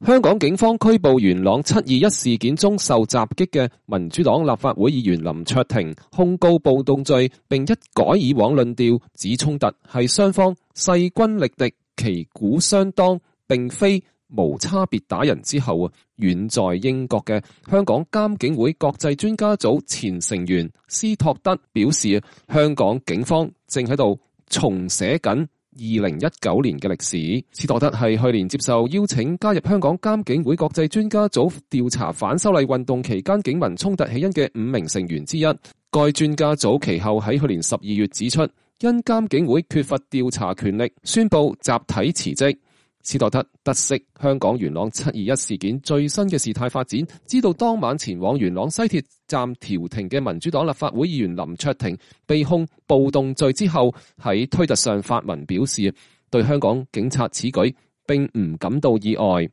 香港警方拘捕元朗721事件中受襲擊嘅民主黨立法會議員林卓廷，控告暴動罪，並一改以往論調，指衝突係雙方勢均力敵、旗鼓相當，並非無差別打人之後，遠在英國嘅香港監警會國際專家組前成員斯托德表示，香港警方正喺度重寫緊2019年嘅歷史。斯托德係去年接受邀請加入香港監警會國際專家組調查反修例運動期間警民衝突起因嘅5名成員之一。該專家組其後喺去年12月指出，因監警會缺乏調查權力，宣布集體辭職。斯托德得悉香港元朗721事件最新嘅事態發展，知道當晚前往元朗西鐵站調停嘅民主黨立法會議員林卓廷被控暴動罪之後，喺推特上發文表示，對香港警察此舉並唔感到意外。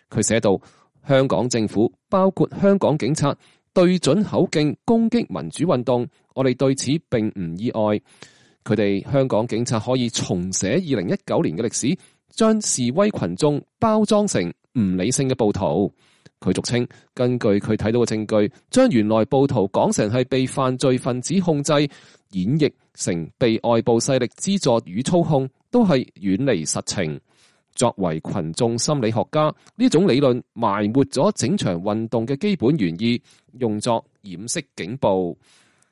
佢寫道：香港政府包括香港警察對準口徑攻擊民主運動，我哋對此並唔意外。佢哋香港警察可以重寫2019年嘅歷史，將示威群眾包裝成唔理性嘅暴徒。佢俗稱，根據佢睇到嘅證據，將原來暴徒講成係被犯罪分子控制，演繹成被外部勢力資助與操控，都係遠離實情。作為群眾心理學家，呢種理論埋沒咗整場運動嘅基本原意，用作掩飾警暴。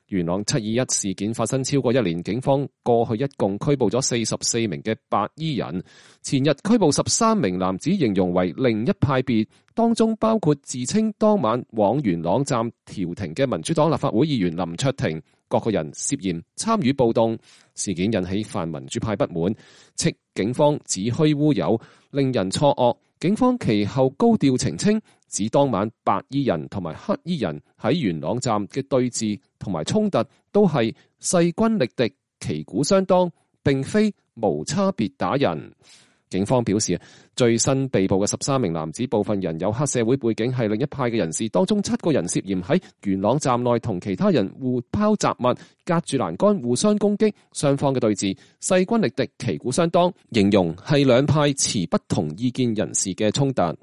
元朗721事件發生超過1年，警方過去一共拘捕咗44名嘅白衣人。前日拘捕13名男子，形容為另一派別，當中包括自稱當晚往元朗站調停嘅民主黨立法會議員林卓廷，各個人涉嫌參與暴動。事件引起泛民主派不滿，斥警方子虛烏有，令人錯愕。警方其後高調澄清，指當晚白衣人同埋黑衣人喺元朗站嘅對峙同埋衝突都係勢均力敵、旗鼓相當，並非無差別打人。警方表示，最新被捕嘅13名男子，部分人有黑社會背景，係另一派嘅人士，當中7個人涉嫌喺元朗站內同其他人互拋雜物、隔住欄杆互相攻擊，雙方嘅對峙勢均力敵、旗鼓相當，形容係兩派持不同意見人士嘅衝突。